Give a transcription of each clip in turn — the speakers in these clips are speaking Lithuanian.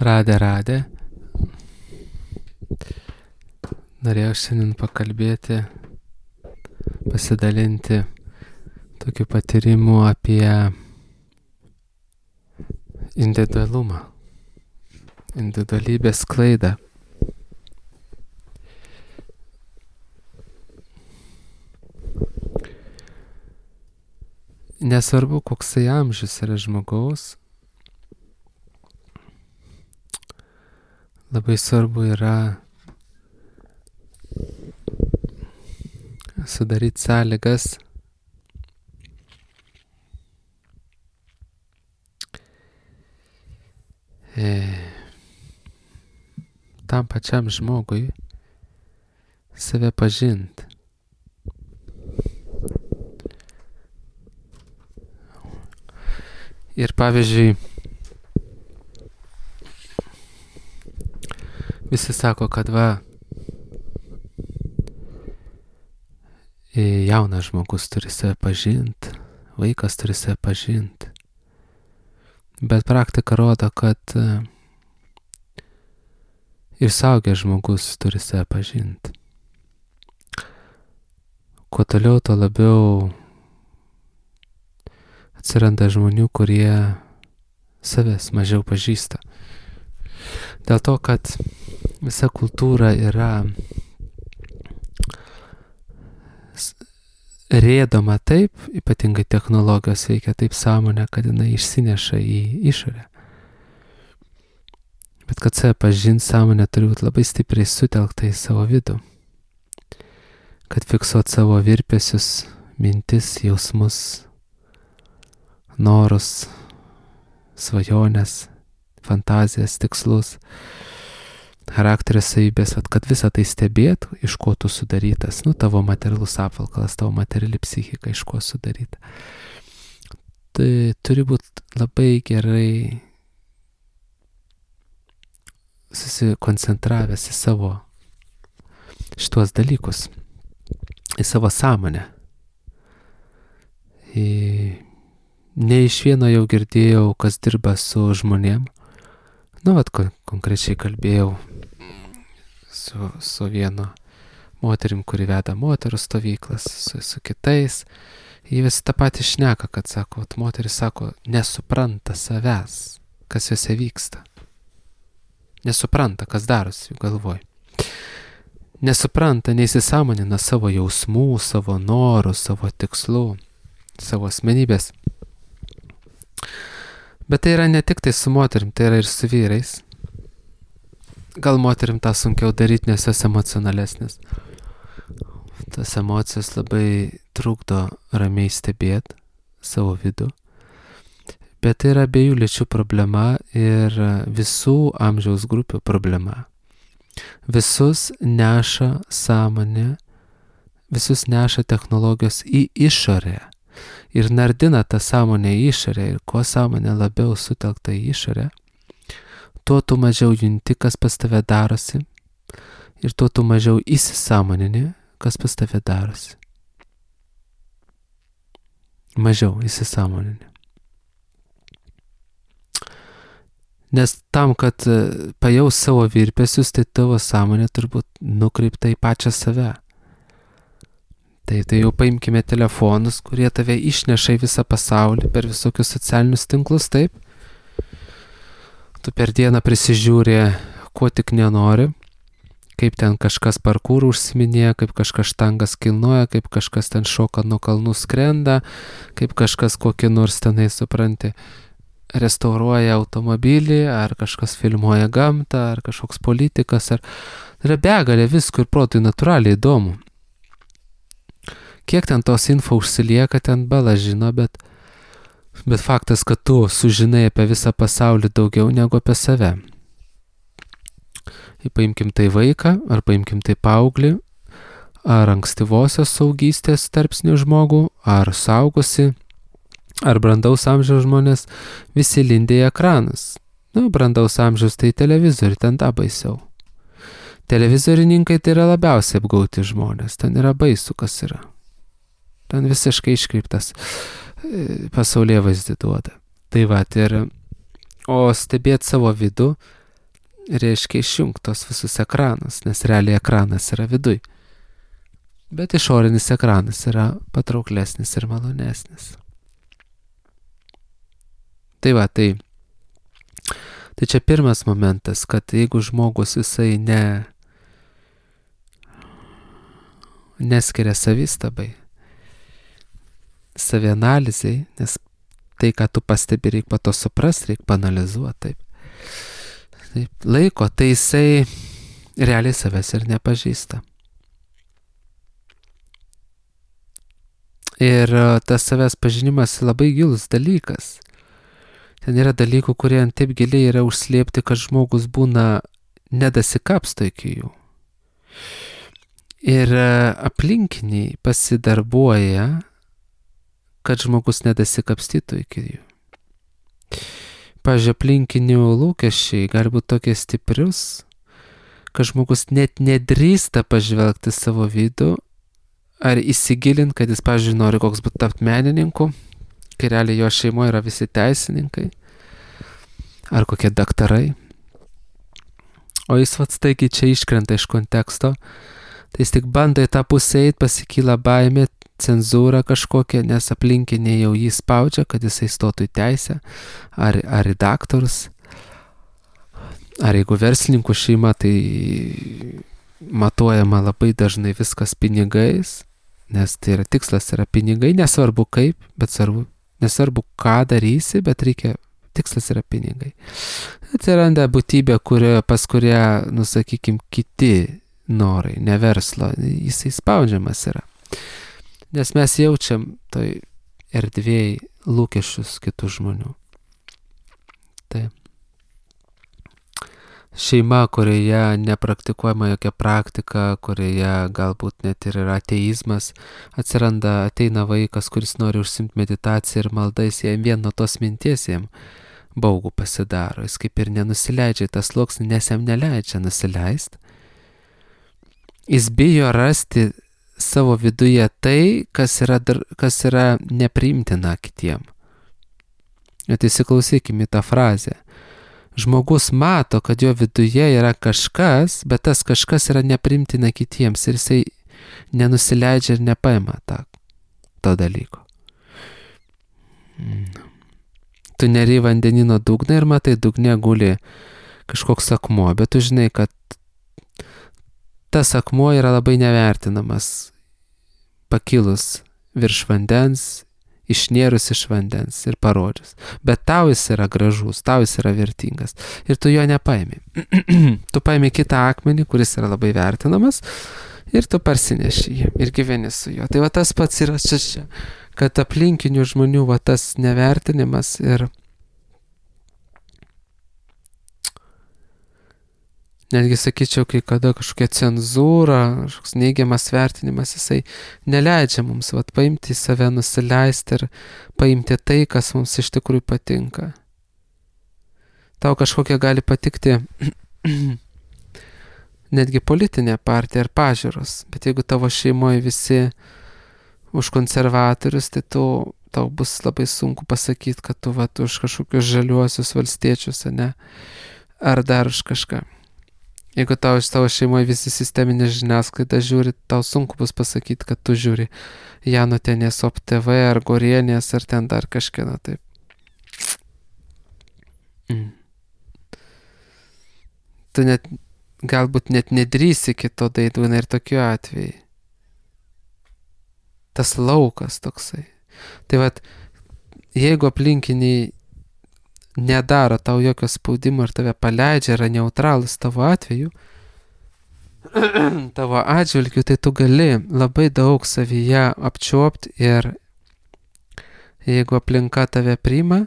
Radė. Norėjau šiandien pakalbėti, pasidalinti tokiu patyrimu apie individualumą, individualybės sklaidą. Nesvarbu, koksai amžius yra žmogaus, labai svarbu yra sudaryti sąlygas tam pačiam žmogui save pažinti. Ir pavyzdžiui, visi sako, kad jaunas žmogus turi save pažinti, vaikas turi save pažinti. Bet praktika rodo, kad ir suaugęs žmogus turi save pažinti. Kuo toliau, tuo labiau atsiranda žmonių, kurie savęs mažiau pažįsta. Dėl to, kad visa kultūra yra rėdoma taip, ypatingai technologijos veikia taip sąmonę, kad jinai išsineša į išorę. Bet kad save pažinti, sąmonė turi būti labai stipriai sutelkta į savo vidų. Kad fiksuot savo virpesius, mintis, jausmus, norus, svajonės, fantazijas, tikslus, charakterio savybės, kad visą tai stebėt, iš ko tu sudarytas, tavo materialus apvalkalas, tavo materiali psichika, iš ko sudaryta. Tai turi būti labai gerai susikoncentravęs į savo šitos dalykus, į savo sąmonę. Ne iš vieno jau girdėjau, kas dirba su žmonėm. Konkrečiai kalbėjau su vienu moterim, kuri veda moterų stovyklas, su kitais. Jie visi tą patį šneka, kad sako, moteris sako, nesupranta savęs, kas juose vyksta. Nesupranta, kas darosi jų galvoj. Nesupranta, neįsisąmonina savo jausmų, savo norų, savo tikslų, savo asmenybės. Bet tai yra ne tik tai su moterim, tai yra ir su vyrais. Gal moterim tą sunkiau daryti, nes jos emocionalesnės. Tas emocijos labai trukdo ramiai stebėti savo vidų. Bet tai yra abiejų lyčių problema ir visų amžiaus grupių problema. Visus neša sąmonė, visus neša technologijos į išorę. Ir nardina tą sąmonę į išorę. Ir kuo sąmonė labiau sutelkta į išorę, tuo tu mažiau junti, kas pas tave darosi. Ir tuo tu mažiau įsisąmonini, kas pas tave darosi. Mažiau įsisąmonini. Nes tam, kad pajaus savo virpesius, tai tavo sąmonė turbūt nukreipta į pačią save. Tai jau paimkime telefonus, kurie tave išneša į visą pasaulį per visokius socialinius tinklus, taip? Tu per dieną prisižiūri, ko tik nenori, kaip ten kažkas parkūrų užsiminėja, kaip kažkas štangas kilnoja, kaip kažkas ten šoka nuo kalnų skrenda, kaip kažkas kokį nors tenai, supranti, restauruoja automobilį, ar kažkas filmuoja gamtą, ar kažkoks politikas, ar yra begalė visko ir protui natūraliai įdomu. Kiek ten tos info užsilieka, ten bala žino, bet faktas, kad tu sužinai apie visą pasaulį daugiau negu apie save. Paimkim tai vaiką, ar paimkim tai paauglį, ar ankstyvosios saugystės tarpsnių žmogų, ar saugusi, ar brandaus amžiaus žmonės, visi lindė į ekranus. Brandaus amžiaus tai televizorių, ten tą baisiau. Televizorininkai tai yra labiausiai apgauti žmonės, ten yra baisu, kas yra. Ten visiškai iškreiptas pasaulyje vaizdį duoda. Tai o stebėti savo vidų, reiškia išjungtos visus ekranus, nes realiai ekranas yra viduj. Bet išorinis ekranas yra patrauklesnis ir malonesnis. Tai va, tai čia pirmas momentas, kad jeigu žmogus jisai neskiria savistabai, savianalizai, nes tai, ką tu pastebi, reikia po to suprasti, reikia panalizuoti, taip laiko, tai jisai realiai savęs ir nepažįsta. Ir tas savęs pažinimas labai gilus dalykas. Ten yra dalykų, kurie taip giliai yra užslėpti, kad žmogus būna nedasikapsto iki jų. Ir aplinkiniai pasidarbuoja, kad žmogus nedasikapstytų iki jų. Pavyzdžiui, aplinkinių lūkesčiai gali būti tokie stiprius, kad žmogus net nedrįsta pažvelgti savo vidų ar įsigilinti, kad jis, pavyzdžiui, nori koks būti tapti menininku, kai realiai jo šeimoje yra visi teisininkai ar kokie daktarai. O jis staigiai čia iškrenta iš konteksto, tai jis tik bando į tą pusę eiti, pasikyla baimė, cenzūra kažkokia, nes aplinkiniai jau jį spaudžia, kad jisai stotų į teisę ar į daktarus. Ar jeigu verslininkų šeima, tai matuojama labai dažnai viskas pinigais, nes tai yra tikslas, yra pinigai, nesvarbu kaip, bet nesvarbu ką darysi, bet tikslas yra pinigai. Atsiranda būtybė, pas kurią, sakykim, kiti norai, ne verslo, jisai spaudžiamas yra. Nes mes jaučiam toj erdvėj lūkesčius kitų žmonių. Taip. Šeima, kurioje nepraktikuojama jokia praktika, kurioje galbūt net ir yra ateizmas, ateina vaikas, kuris nori užsimti meditaciją ir maldais, jam vien nuo tos minties jam baugų pasidaro. Jis kaip ir nenusileidžia į tą sluoksnį, nes jam neleidžia nusileisti. Jis bijo rasti savo viduje tai, kas yra nepriimtina kitiem. Bet įsiklausykime į tą frazę. Žmogus mato, kad jo viduje yra kažkas, bet tas kažkas yra nepriimtina kitiems ir jisai nenusileidžia ir nepaima to dalyko. Tu neri vandenino dugną ir matai, dugne guli kažkoks akmuo, bet tu žinai, kad tas akmuo yra labai nevertinamas, pakilus virš vandens, išnėrus iš vandens ir parodžius. Bet tau jis yra gražus, tau jis yra vertingas. Ir tu jo nepaimi. Tu paimi kitą akmenį, kuris yra labai vertinamas, ir tu parsineši jį ir gyveni su juo. Tai va tas pats yra čia, kad aplinkinių žmonių va tas nevertinimas ir netgi sakyčiau, kai kada kažkokia cenzūra, kažkoks neigiamas vertinimas, jisai neleidžia mums paimti į save, nusileisti ir paimti tai, kas mums iš tikrųjų patinka. Tau kažkokia gali patikti netgi politinė partija ar pažiūros, bet jeigu tavo šeimoje visi už konservatorius, tai tau bus labai sunku pasakyti, kad tu už kažkokius žaliuosius valstiečius, ne? Ar dar už kažką. Jeigu tau iš tavo šeimoje visi sisteminė žiniasklaida žiūri, tau sunku bus pasakyti, kad tu žiūri Janutienės Op TV ar Gorienės ar ten dar kažkieno taip. Tu galbūt net nedrįsi kito daidūna ir tokiu atveju. Tas laukas toksai. Tai vat, jeigu aplinkiniai nedaro tau jokio spaudimo ir tave paleidžia, yra neutralus tavo atveju, tavo atžvilgiu, tai tu gali labai daug savyje apčiuopti ir jeigu aplinka tave priima,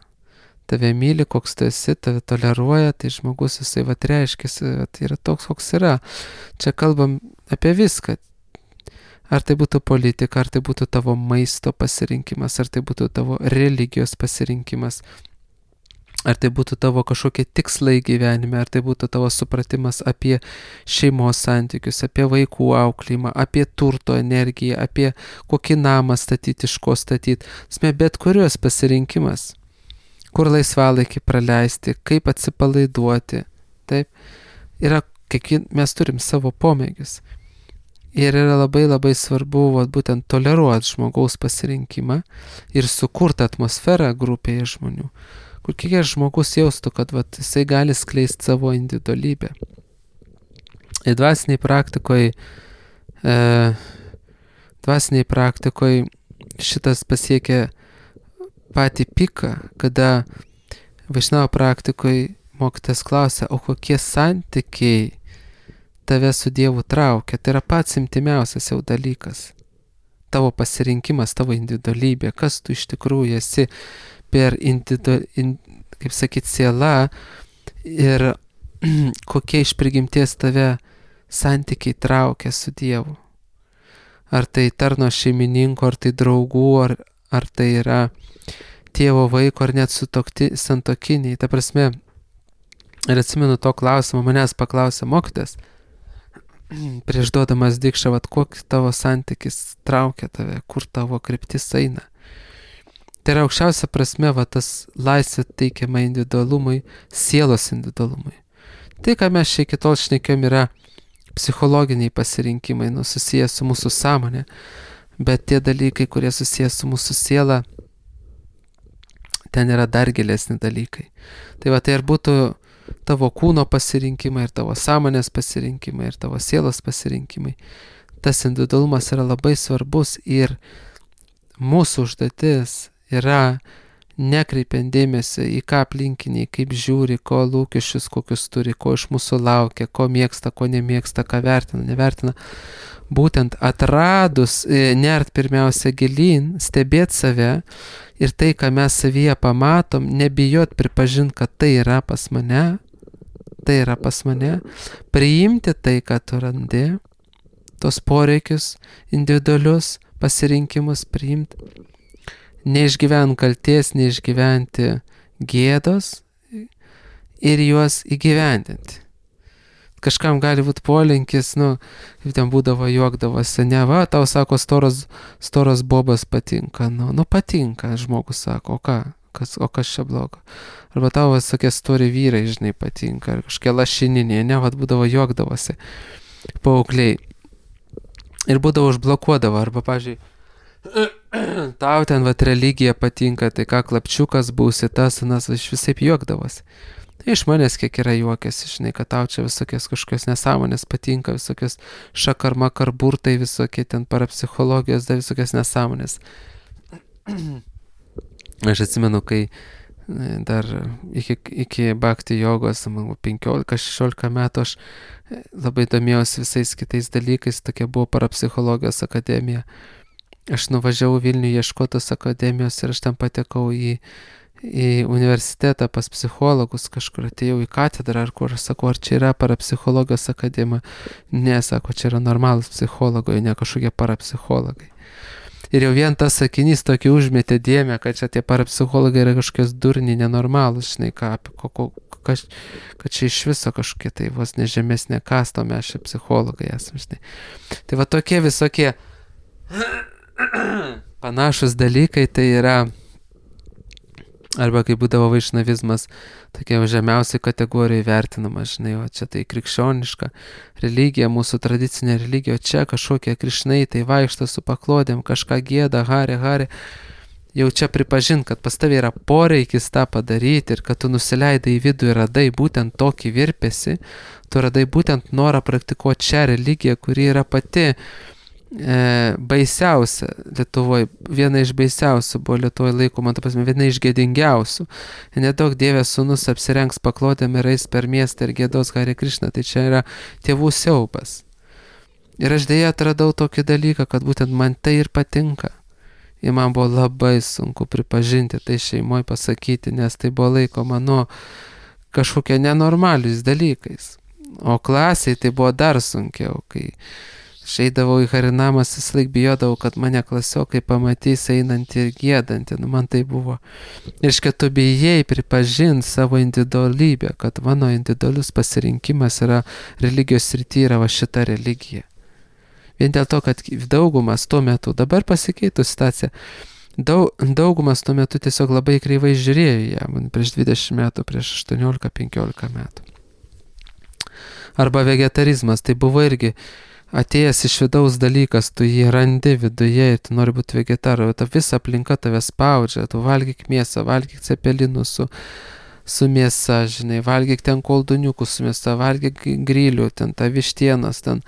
tave myli, koks tu esi, tave toleruoja, tai žmogus jisai reiškiasi, yra toks, koks yra. Čia kalbam apie viską. Ar tai būtų politika, ar tai būtų tavo maisto pasirinkimas, ar tai būtų tavo religijos pasirinkimas, ar tai būtų tavo kažkokie tikslai gyvenime, ar tai būtų tavo supratimas apie šeimos santykius, apie vaikų auklėjimą, apie turto energiją, apie kokį namą statyti, iš ko statyti. Bet kurios pasirinkimas, kur laisvalaikį praleisti, kaip atsipalaiduoti, taip, mes turim savo pomėgius. Ir yra labai svarbu būtent toleruoti žmogaus pasirinkimą ir sukurti atmosferą grupėje žmonių, kur kiekvienas žmogus jaustų, kad jisai gali skleisti savo individualybę. Ir dvasiniai praktikoje šitas pasiekia patį piką, kada Vaišnavo praktikoje mokytojas klausia, o kokie santykiai tave su Dievu traukia. Tai yra pats intimiausias jau dalykas. Tavo pasirinkimas, tavo individualybė, kas tu iš tikrųjų esi per siela ir kokie iš prigimties tave santykiai traukia su Dievu. Ar tai tarno šeimininko, ar tai draugų, ar tai yra tėvo vaiko, ar net santokiniai. Ta prasme, ir atsimenu to klausimo, manęs paklausė mokytojas, prieš duodamas dikšą, kokį tavo santykis traukia tave, kur tavo kryptis eina. Tai yra aukščiausia prasme, tas laisvė teikiama individualumui, sielos individualumui. Tai, ką mes čia iki tol šnekėjom, yra psichologiniai pasirinkimai, susijęs su mūsų sąmonė, bet tie dalykai, kurie susijęs su mūsų siela, ten yra dar gilesni dalykai. Tai tai ir būtų tavo kūno pasirinkimai, ir tavo sąmonės pasirinkimai, ir tavo sielos pasirinkimai. Tas individualumas yra labai svarbus ir mūsų užduotis yra nekreipiant dėmesio į ką aplinkiniai, kaip žiūri, ko lūkesčius kokius turi, ko iš mūsų laukia, ko mėgsta, ko nemėgsta, ką vertina, nevertina. Būtent atradus, nert pirmiausia gilyn, stebėti save ir tai, ką mes savyje pamatom, nebijot pripažinti, kad tai yra pas mane, priimti tai, ką tu randi, tos poreikius, individualius pasirinkimus priimti, neišgyventi kalties, neišgyventi gėdos ir juos įgyvendinti. Kažkam gali būti polinkis, kaip ten būdavo, juokdavosi, tau sako, storas bobas patinka, patinka, žmogus sako, o kas čia blogo? Arba tau visokie stori vyrai, žinai, patinka, ar kažkokie lašininiai, būdavo juokdavosi paaugliai. Ir būdavo užblokuodavo, arba, pavyzdžiui, tau ten religija patinka, tai ką klapčiukas būsi, tas, iš visaip juokdavosi. Tai iš manęs kiek yra juokėsi, žinai, kad tau čia visokios kažkokios nesąmonės patinka, visokios šakarmakar burtai, visokie ten parapsichologijos, visokios nesąmonės. Aš atsimenu, kai dar iki bhakti jogos, 15-16 metų, aš labai domėjausi visais kitais dalykais, tokia buvo parapsichologijos akademija. Aš nuvažiavau Vilnių ieškotos akademijos ir aš ten patekau į universitetą pas psichologus, kažkur atėjau į katedrą, ar kur, sakau, ar čia yra parapsichologijos akademija. Ne, sako, čia yra normalus psichologai, ne kažkokie parapsichologai. Ir jau vien tas sakinys tokį užmetė dėmę, kad čia tie parapsichologai yra kažkokios durniai, nenormalūs, žinai, kad čia iš viso kažkokie tai vos nežemesnė kasta, mes čia psichologai esame, žinai. Tai tokie visokie panašus dalykai, tai yra, arba kai būdavo vaišnavizmas, tokia žemiausiai kategorija vertinama, žinai, o čia tai krikščioniška religija, mūsų tradicinė religija, o čia kažkokie krišnai, tai vaikšto su paklodėm, kažką gėda, hari, jau čia pripažint, kad pas tavai yra poreikis tą padaryti ir kad tu nusileidai į vidų ir radai būtent tokį virpesį, tu radai būtent norą praktikuoti šią religiją, kuri yra pati baisiausia Lietuvoje, viena iš baisiausių buvo Lietuvoje laikoma, viena iš gėdingiausių. Nedaug Dievės sūnus apsirengs paklodėm ir eis per miestą ir gėdos Hare Krishna, tai čia yra tėvų siaubas. Ir aš dėja atradau tokį dalyką, kad būtent man tai ir patinka. Ir man buvo labai sunku pripažinti tai šeimoje, pasakyti, nes tai buvo laikoma kažkokie nenormaliais dalykais. O klasiai tai buvo dar sunkiau, kai išeidavau į harinamas, vis laik bijodavau, kad mane klasiokai pamatys einantį ir giedantį. Man tai buvo. Ir kad tu bijai pripažinti savo individualybę, kad mano individualus pasirinkimas yra religijos srityje, yra šita religija. Vien dėl to, kad daugumas tuo metu, dabar pasikeitų situacija, daugumas tuo metu tiesiog labai kreivai žiūrėjo ją, man prieš 20 metų, prieš 18-15 metų. Arba vegetarizmas, tai buvo irgi atėjęs iš vidaus dalykas, tu jį randi viduje ir tu nori būti vegetaru, ta visa aplinka tave spaudžia, tu valgyk mėsą, valgyk cepelinų su mėsa, žinai, valgyk ten kolduniukų su mėsa, valgyk grilių, ten ta vištienos, ten.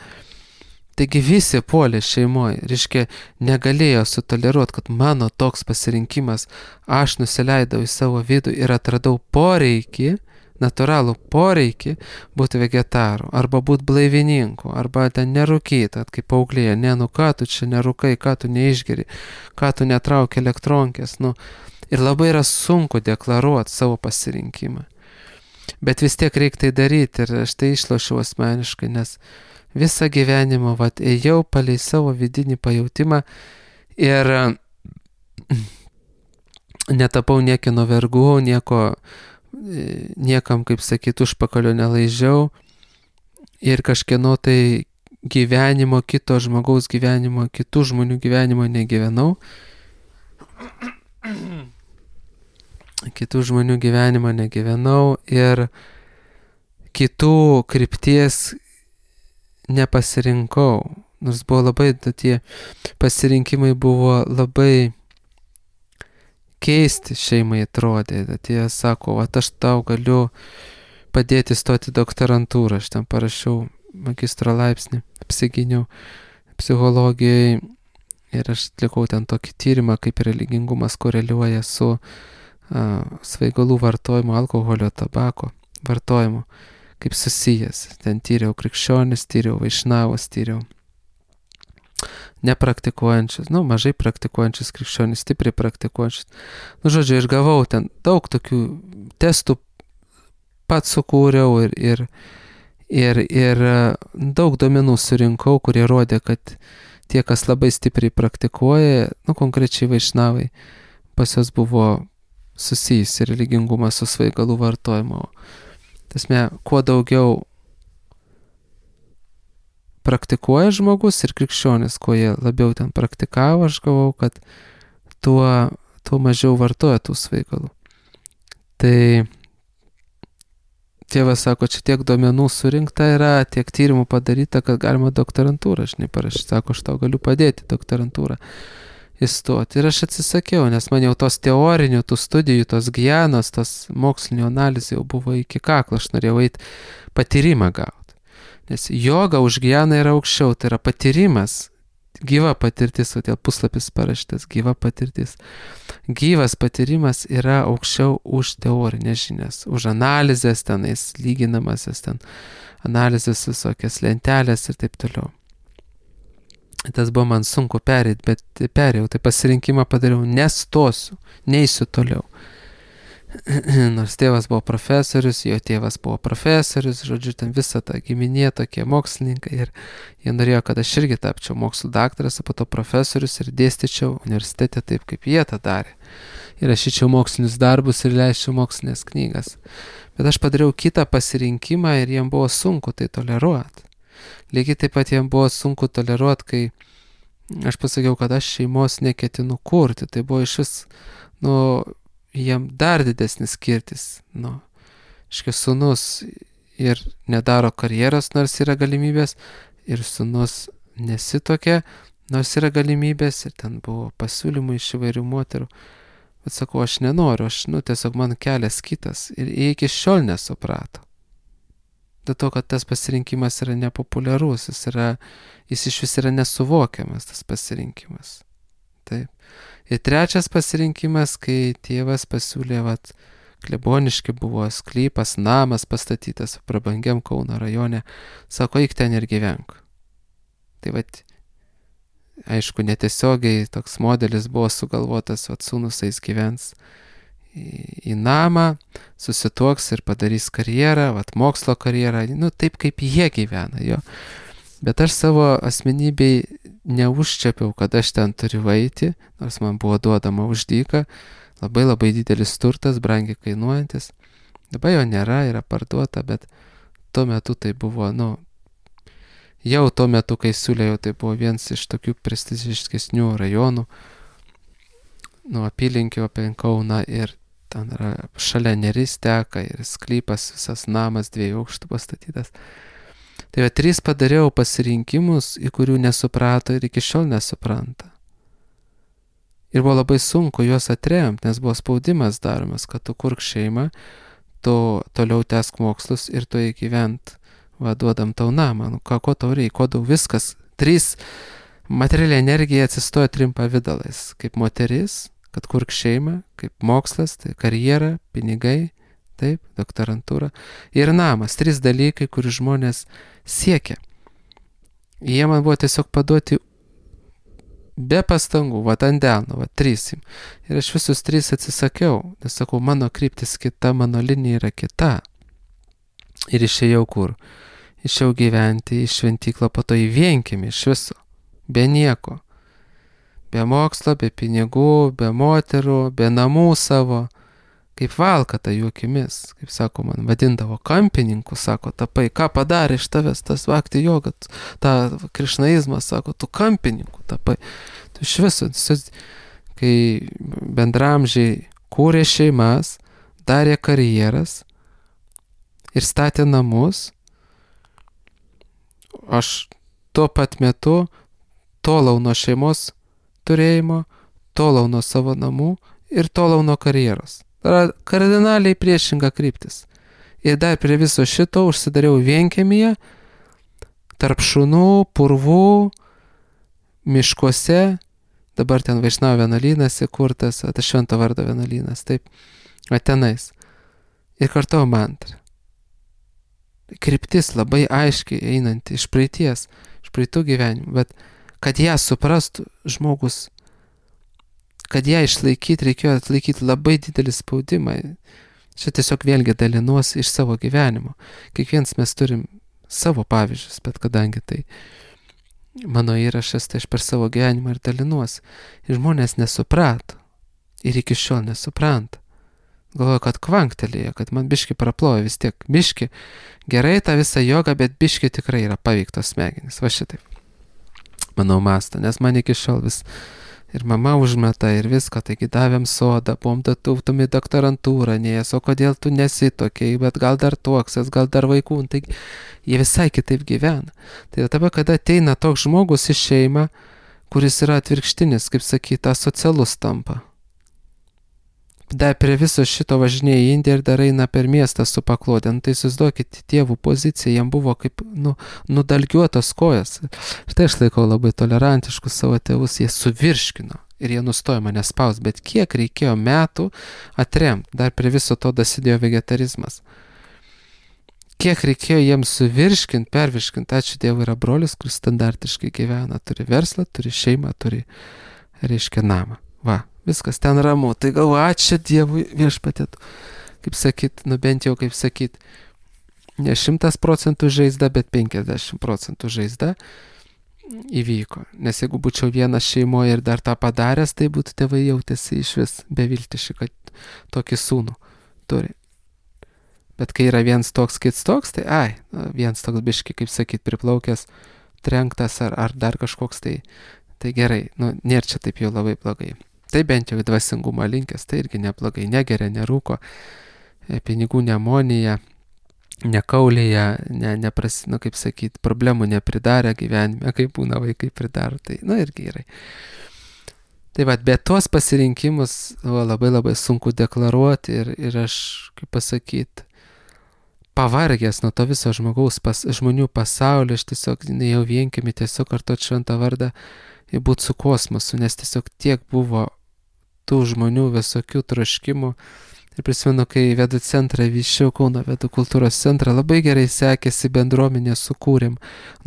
Taigi visi puolė šeimoje, reiškia, negalėjo sutoleruoti, kad mano toks pasirinkimas, aš nusileidau į savo vidų ir atradau poreikį, natūralų poreikį būti vegetaru, arba būti blaivininku, arba ten nerūkyti, kaip paauglėje, nu ką tu čia nerūkai, ką tu neišgeri, ką tu netrauki elektronkės, ir labai yra sunku deklaruoti savo pasirinkimą. Bet vis tiek reikia tai daryti ir aš tai išlošiau asmeniškai, nes visą gyvenimą, ėjau palei savo vidinį pajautimą ir netapau niekino vergų, niekam, kaip sakyt, užpakalio nelaižiau ir kažkieno tai gyvenimo, kito žmogaus gyvenimo, kitų žmonių gyvenimo negyvenau. Kitų žmonių gyvenimo negyvenau ir kitų krypties nepasirinkau, nors buvo labai, tie pasirinkimai buvo labai keisti šeimai atrodė, tie sako, aš tau galiu padėti stoti doktorantūrą, aš ten parašiau magistro laipsnį, apsigyniau psichologijai ir aš atlikau ten tokį tyrimą, kaip religingumas koreliuoja su svaigalų vartojimu, alkoholio, tabako vartojimu, kaip susijęs. Ten tyriau krikščionis, tyriau vaišnavus, tyriau nepraktikuojančius, mažai praktikuojančius krikščionis, stipriai praktikuojančius. Žodžiu, aš gavau ten daug tokių testų, pats sukūriau ir daug duomenų surinkau, kurie rodė, kad tie, kas labai stipriai praktikuoja, konkrečiai vaišnavai, pas jos buvo susijusi religingumas su svaigalų vartojimu. Tasme, kuo daugiau praktikuoja žmogus ir krikščionis, kuo jie labiau ten praktikavo, aš gavau, kad tuo mažiau vartoja tų svaigalų. Tai tėvas sako, čia tiek duomenų surinkta yra, tiek tyrimų padaryta, kad galima doktorantūrą, parašyti. Sako, aš tau galiu padėti doktorantūrą įstoti. Ir aš atsisakiau, nes man jau tos teorinių, tų studijų, tos gjanos, tos mokslinio analizė jau buvo iki kaklo, aš norėjau eiti patyrimą gauti. Nes joga už gjaną yra aukščiau, tai yra patyrimas, gyva patirtis, o dėl puslapis parašytas, gyva patirtis. Gyvas patyrimas yra aukščiau už teorinės žinias, už analizės tenais, lyginamasias ten, analizės visokias lentelės ir taip toliau. Tas buvo man sunku perėti, bet perėjau, tai pasirinkimą padariau, nestosiu, neisiu toliau. Nors tėvas buvo profesorius, jo tėvas buvo profesorius, žodžiu, ten visa ta giminė, tokie mokslininkai ir jie norėjo, kad aš irgi tapčiau mokslų daktaras, o po to profesorius ir dėstyčiau universitete taip, kaip jie tą darė. Ir rašyčiau mokslinius darbus ir leisčiau mokslinės knygas. Bet aš padariau kitą pasirinkimą ir jiem buvo sunku tai toleruoti. Lygiai taip pat jiem buvo sunku toleruoti, kai aš pasakiau, kad aš šeimos neketinu kurti. Tai buvo iš vis, jiem dar didesnis skirtis. Sūnus ir nedaro karjeros, nors yra galimybės, ir sūnus nesitokia, nors yra galimybės, ir ten buvo pasiūlymų iš įvairių moterų. Bet sakau, aš nenoriu, tiesiog man kelias kitas. Ir jie iki šiol nesuprato. Dėl to, kad tas pasirinkimas yra nepopuliarus, jis iš vis yra nesuvokiamas, tas pasirinkimas. Taip. Ir trečias pasirinkimas, kai tėvas pasiūlė, kleboniški buvo sklypas, namas pastatytas prabangiam Kauno rajone, sako, eik ten ir gyvenk. Tai aišku, netiesiogiai toks modelis buvo sugalvotas, sūnus eis gyvens į namą, susituoks ir padarys karjerą, mokslo karjerą, taip kaip jie gyvena, jo. Bet aš savo asmenybei neužčiapiau, kad aš ten turiu eiti, nors man buvo duodama už dyką, labai labai didelis turtas, brangiai kainuojantis. Dabar jo nėra, yra parduota, bet tuo metu tai buvo, jau tuo metu, kai siūlėjau, tai buvo vienas iš tokių prestižiškesnių rajonų, apylinkių apie Kauną ir ten yra šalia Neris teka ir sklypas, visas namas 2 aukštų pastatytas. Tai 3 padariau pasirinkimus, į kurių nesuprato ir iki šiol nesupranta. Ir buvo labai sunku juos atremti, nes buvo spaudimas daromas, kad tu kurk šeimą, tu toliau tęsk mokslus ir tu įgyvent, duodam tau namą, ko tau reikia, ko daug viskas. 3 materialiai energija atsistoja 3 pavidalais, kaip moteris, kad kurk šeimą, kaip mokslas, tai karjera, pinigai, taip, doktorantūra ir namas, 3 dalykai, kur žmonės siekia. Jie man buvo tiesiog paduoti be pastangų, ant delno, 3. Ir aš visus 3 atsisakiau, nes sakau, mano kryptis kita, mano linija yra kita. Ir išėjau kur? Išėjau gyventi į šventyklą, po to į vienkiemį iš viso, be nieko. Be mokslo, be pinigų, be moterų, be namų savo. Kaip valkata jų akimis, kaip sako, man vadindavo kampininku, sako, tapai, ką padarė iš tavęs tas vakti joga, tą krišnaizmą, sako, tu kampininku tapai. Tu iš viso, kai bendramžiai kūrė šeimas, darė karjeras ir statė namus, aš tuo pat metu tolau nuo šeimos turėjimo, tolau nuo savo namų ir tolau nuo karjeros. Tai yra kardinaliai priešinga kryptis. Ir dar prie viso šito užsidariau vienkiemyje, tarp šunų, purvų, miškuose, dabar ten Vaišnavo vienuolynas įkurtas, Švento vardo vienuolynas, taip, tenais. Ir kartuoju mantrą. Kryptis labai aiškiai einanti iš praeities, iš praeitų gyvenimų, bet kad ją suprastų žmogus, kad ją išlaikyti, reikėjo atlaikyti labai didelį spaudimą. Čia tiesiog vėlgi dalinuosi iš savo gyvenimo. Kiekvienas mes turim savo pavyzdžius, bet kadangi tai mano įrašas, tai aš per savo gyvenimą ir dalinuosi. Ir žmonės nesuprato. Ir iki šiol nesupranta. Galvoju, kad kvanktelėjo, kad man biški praplojo vis tiek. Biški gerai tą visą jogą, bet biški tikrai yra paveiktos smegenys. Va šitaip. Manau mąsto, nes man iki šiol vis ir mama užmeta ir viską, taigi davėm sodą, buvom datuvtum į doktorantūrą, neės, o kodėl tu nesitokiai, bet gal dar tuoksies, gal dar vaikų, taigi jie visai kitaip gyvena. Tai tada, kada ateina toks žmogus į šeimą, kuris yra atvirkštinis, kaip sakyta, asocialus tampa. Dar prie viso šito važinėja į Indiją ir dar eina per miestą su paklodė. Tai įsivaizduokit, tėvų pozicija, jam buvo kaip nudalgiuotos kojas. Ir tai aš laikau labai tolerantiškus savo tėvus, jie suvirškino ir jie nustojo mane spaus, bet kiek reikėjo metų atremti, dar prie viso to dasidėjo vegetarizmas. Kiek reikėjo jiems suvirškinti, pervirškinti, ačiū Dievui, yra brolis, kuris standartiškai gyvena, turi verslą, turi šeimą, turi, reiškia, namą. Va. Viskas ten ramu, tai galvoju, ačiū Dievui viešpatėtų. Kaip sakyt, bent jau kaip sakyt, ne 100% žaizda, bet 50% žaizda įvyko. Nes jeigu būčiau vienas šeimoje ir dar tą padaręs, tai būtų tėvai jautėsi iš vis beviltiški, kad tokį sūnų turi. Bet kai yra viens toks, kits toks, tai viens toks biški, kaip sakyt, priplaukęs, trenktas ar dar kažkoks, tai gerai, nėra čia taip jau labai blogai. Tai bent jau į dvasingumą linkęs, tai irgi neblogai, negeria, nerūko, pinigų nemonija, nekaulėja, kaip sakyt, problemų nepridarė gyvenime, kaip būna vaikai pridaro, tai, irgi gerai. Tai bet tuos pasirinkimus labai labai sunku deklaruoti ir aš, kaip pasakyt, pavargęs nuo to viso žmonių pasaulio, aš tiesiog jau vienkiemį tiesiog kartuot šventą vardą ir būt su kosmosu, nes tiesiog tiek buvo tų žmonių visokių troškimų. Ir prisimenu, kai vedų centrą vyščiau, Kauno vedų kultūros centrą, labai gerai sekėsi, bendruomenę sukūrėm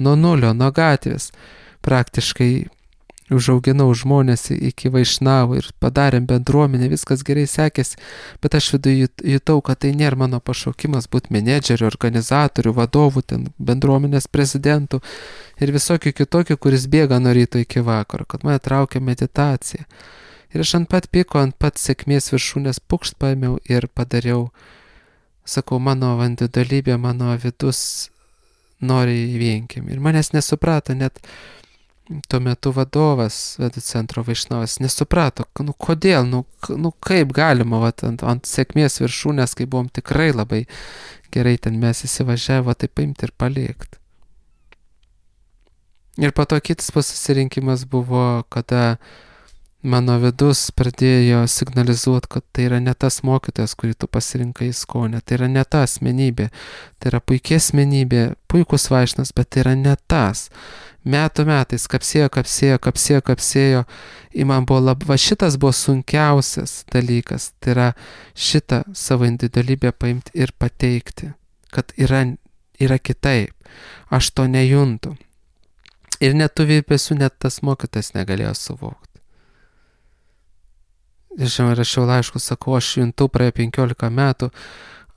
nuo nulio, nuo gatvės. Praktiškai užauginau žmonės iki Vaišnavų ir padarėm bendruomenę, viskas gerai sekėsi, bet aš viduje jutau, kad tai nėra mano pašaukimas būti menedžeriu, organizatoriu, vadovu, ten bendruomenės prezidentu ir visokių kitokių, kuris bėga nuo ryto iki vakaro, kad mane traukia meditacija. Ir aš ant pat piko, ant pat sėkmės viršūnės pukšt paėmiau ir padariau, sakau, mano vandidalybė, mano vidus nori į vienkiemį. Ir manęs nesuprato, net tuo metu vadovas vedų centro Vaišnavas nesuprato, kodėl, kaip galima ant sėkmės viršūnės, kai buvom tikrai labai gerai ten mes įsivažiavo, tai paimti ir palikti. Ir po to kitas pasirinkimas buvo, kada mano vidus pradėjo signalizuoti, kad tai yra ne tas mokytojas, kurį tu pasirinkai skonę, tai yra ne ta asmenybė, tai yra puikia asmenybė, puikus vaišnas, bet tai yra ne tas. Metų metais kapsėjo, ir man buvo va šitas buvo sunkiausias dalykas, tai yra šitą savo individualybę paimti ir pateikti, kad yra kitaip, aš to nejuntu. Ir net tų virpesių net tas mokytojas negalėjo suvokti. Ir žinoma, rašiau laiškus, sakau, aš juntu praėjo 15 metų,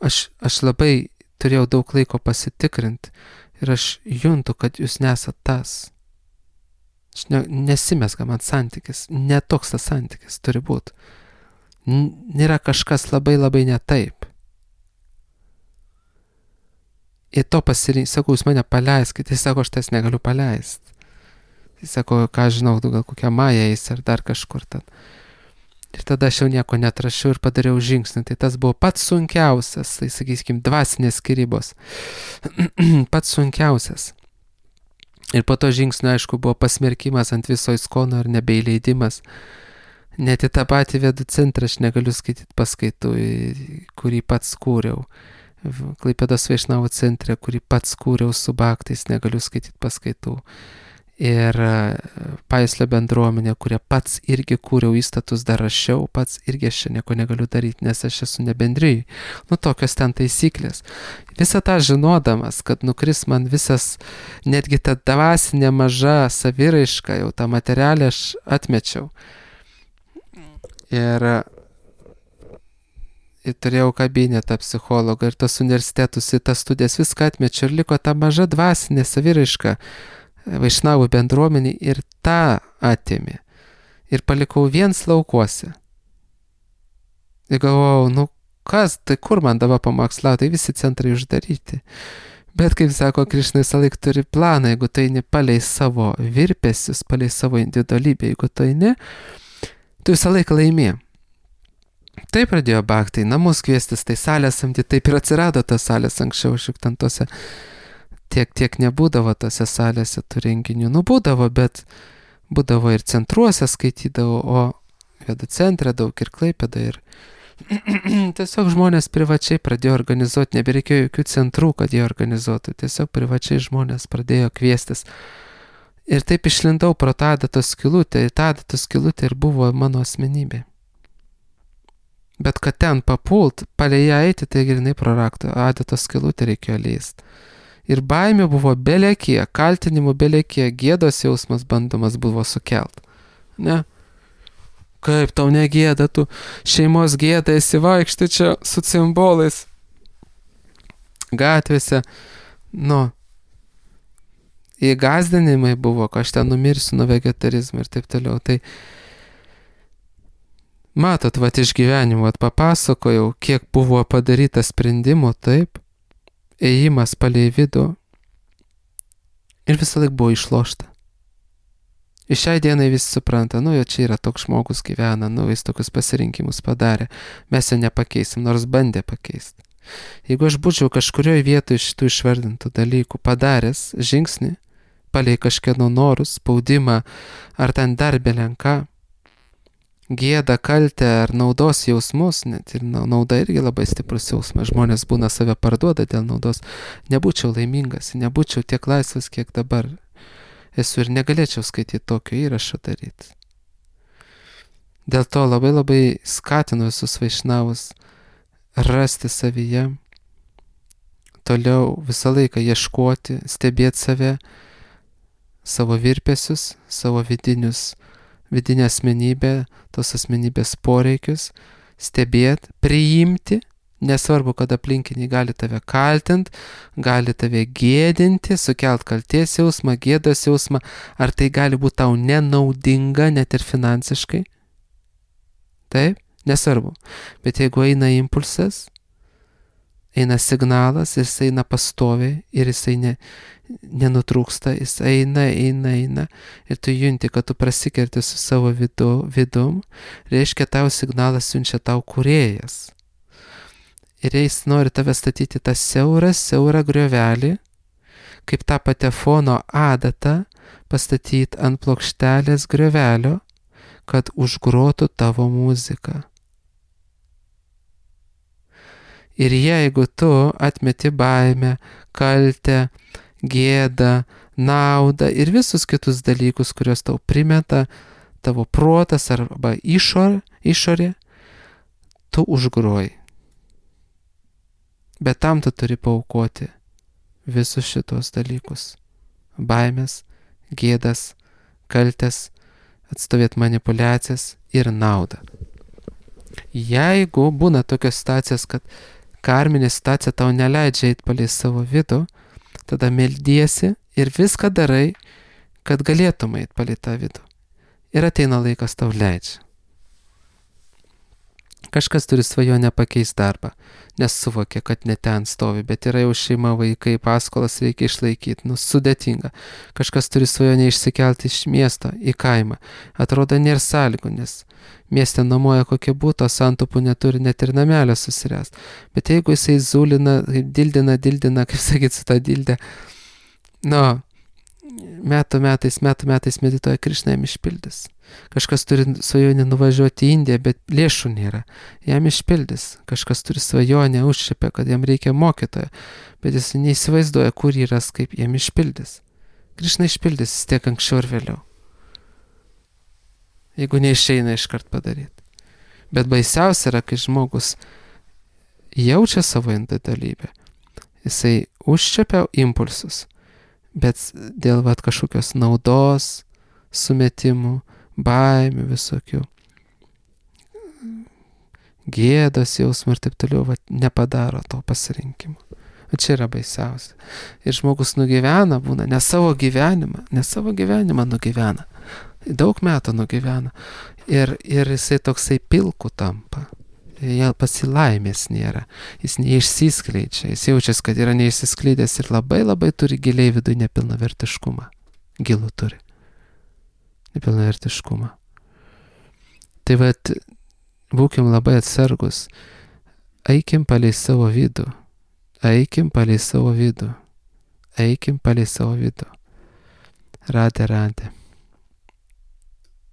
aš labai turėjau daug laiko pasitikrinti ir aš juntu, kad jūs nesat tas. Nesimesga man santykis, netoks tas santykis turi būti. Nėra kažkas labai ne taip. Ir to sakau, jūs mane paleiskite, jis sako, aš tas negaliu paleisti. Jis sako, ką žinau, gal kokia Maja eis ar dar kažkur ten. Ir tada aš jau nieko netrašiau ir padariau žingsnį. Tai tas buvo pats sunkiausias, tai sakysim, dvasinės skyrybos. Pats sunkiausias. Ir po to žingsnio, aišku, buvo pasmerkimas ant viso įskono ir nebeįleidimas. Net į tą patį vedų centrą aš negaliu skaityti paskaitų, kurį pats kūriau. Klaipėdos Vaišnavų centre, kurį pats kūriau su baktais, negaliu skaityti paskaitų. Ir Paislio bendruomenė, kurie pats irgi kūriau įstatus, dar rašiau, pats irgi aš čia nieko negaliu daryti, nes aš esu nebendrijai. Tokios ten taisyklės. Visą tą žinodamas, kad nukris man visas, netgi ta dvasinė maža saviraiška, jau tą materialę aš atmečiau. Ir turėjau kabinetą psichologą ir tos universitetus, į tas studijas viską atmečiau ir liko ta maža dvasinė saviraiška Vaišnavų bendruomenį ir tą atėmė. Ir palikau viens laukuose. Ir galvojau, kas, tai kur man dabar pamokslauti, tai visi centrai uždaryti. Bet kaip sako Krišna, visą laiką turi planą, jeigu tu eini palei savo virpesius, palei savo individualybę, jeigu tu eini, tu visą laiką laimė. Taip pradėjo baktai, namus kviestis, tai salės samdyti, taip ir atsirado tas salės anksčiau, šiek ten tose. Tiek nebūdavo tose salėse tų renginių. Būdavo, bet būdavo ir centruose skaitydavo, o vedų centre daug ir Klaipėda. Ir tiesiog žmonės privačiai pradėjo organizuoti, nebereikėjo jokių centrų, kad jie organizuotų. Tiesiog privačiai žmonės pradėjo kviestis. Ir taip išlindau pro tą adatos skylutę. Ir tą adatos skylutę ir buvo mano asmenybė. Bet kad ten papult, palei ją eiti, tai grinai pro rakto adatos skylutę reikėjo leisti. Ir baimė buvo belekie, kaltinimų belekie, gėdos jausmas bandomas buvo sukelt. Ne? Kaip tau negėda, tu šeimos gėda esi vaikšti čia su cimbolais gatvėse. Įgazdinimai buvo, kad aš ten numirsiu nuo vegetarizmo ir taip toliau. Tai matot, iš gyvenimo papasakojau, kiek buvo padaryta sprendimų, taip. Ėjimas palei vidų ir visą laik buvo išlošta. Ir šiai dienai visi supranta, jau čia yra toks žmogus gyvena, jis tokius pasirinkimus padarė, mes jo nepakeisim, nors bandė pakeisti. Jeigu aš būčiau kažkurioje vietoje šitų išvardintų dalykų padaręs žingsnį, palei kažkieno norus, spaudimą, ar ten dar belenką, gėdą, kaltę ar naudos jausmus, net ir nauda irgi labai stiprus jausmas, žmonės būna save parduoda dėl naudos, nebūčiau laimingas, nebūčiau tiek laisvas, kiek dabar esu ir negalėčiau skaityti tokio įrašo daryti. Dėl to labai skatinu visus vaišnavus rasti savyje, toliau visą laiką ieškoti, stebėti save, savo virpesius, savo vidinę asmenybę, tos asmenybės poreikius, stebėti, priimti, nesvarbu, kad aplinkiniai gali tave kaltinti, gali tave gėdinti, sukelt kalties jausmą, gėdos jausmą, ar tai gali būti tau nenaudinga net ir finansiškai. Taip, nesvarbu. Bet jeigu eina impulsas, eina signalas, jis eina pastoviai ir jisai nenutrūksta, jis eina ir tu junti, kad tu prasikerti su savo vidum, reiškia tau signalas siunčia tau kūrėjas. Ir jis nori tave statyti tą siaurą griovelį, kaip tą patefono adatą, pastatyti ant plokštelės griovelio, kad užgrotų tavo muziką. Ir jeigu tu atmeti baimę, kaltę, gėdą, naudą ir visus kitus dalykus, kuriuos tau primeta tavo protas arba išorė, tu užgroji. Bet tam tu turi paaukoti visus šitos dalykus. Baimės, gėdas, kaltės, atstovėti manipulacijas ir naudą. Jeigu būna tokios situacijos, kad karminė situacija tau neleidžia eiti palei savo vidų, tada meldiesi ir viską darai, kad galėtum eiti palei tą vidų. Ir ateina laikas tau leidžia. Kažkas turi svajonę pakeisti darbą, nes suvokia, kad ne ten stovi, bet yra jau šeima, vaikai, paskolas reikia išlaikyti, sudėtinga. Kažkas turi svajonę išsikelti iš miesto į kaimą. Atrodo, nėra sąlygų, nes mieste nuomoja kokie būtų, santupų neturi net ir namelio susiręst. Bet jeigu jisai zulina, dildina, kaip sakyti, su tą dildę, metų metais medituoja, Krišna jam išpildys. Kažkas turi svajonę nuvažiuoti į Indiją, bet lėšų nėra. Jam išpildys. Kažkas turi svajonę, užšipę, kad jam reikia mokytojo, bet jis neįsivaizduoja, kur jį ras, kaip jam išpildys. Krišna išpildys vis tiek anksčiau ir vėliau. Jeigu neišeina iškart padaryti. Bet baisiausia yra, kai žmogus jaučia savo individualybę. Jisai užčiapia impulsus, bet dėl kažkokios naudos, sumetimų, baimių visokių, gėdos jausmų ir taip toliau, nepadaro to pasirinkimo. O čia yra baisiausia. Ir žmogus nugyvena, būna, ne savo gyvenimą nugyvena. Daug metų nugyvena. Ir jisai toksai pilku tampa. Jie pasilaimės nėra. Jis neišsiskleidžia. Jis jaučiasi, kad yra neišsiskleidęs ir labai turi giliai viduje nepilnavertiškumą. Gilų turi. Nepilnavertiškumą. Tai būkim labai atsargus. Eikim palei savo vidų. Radė.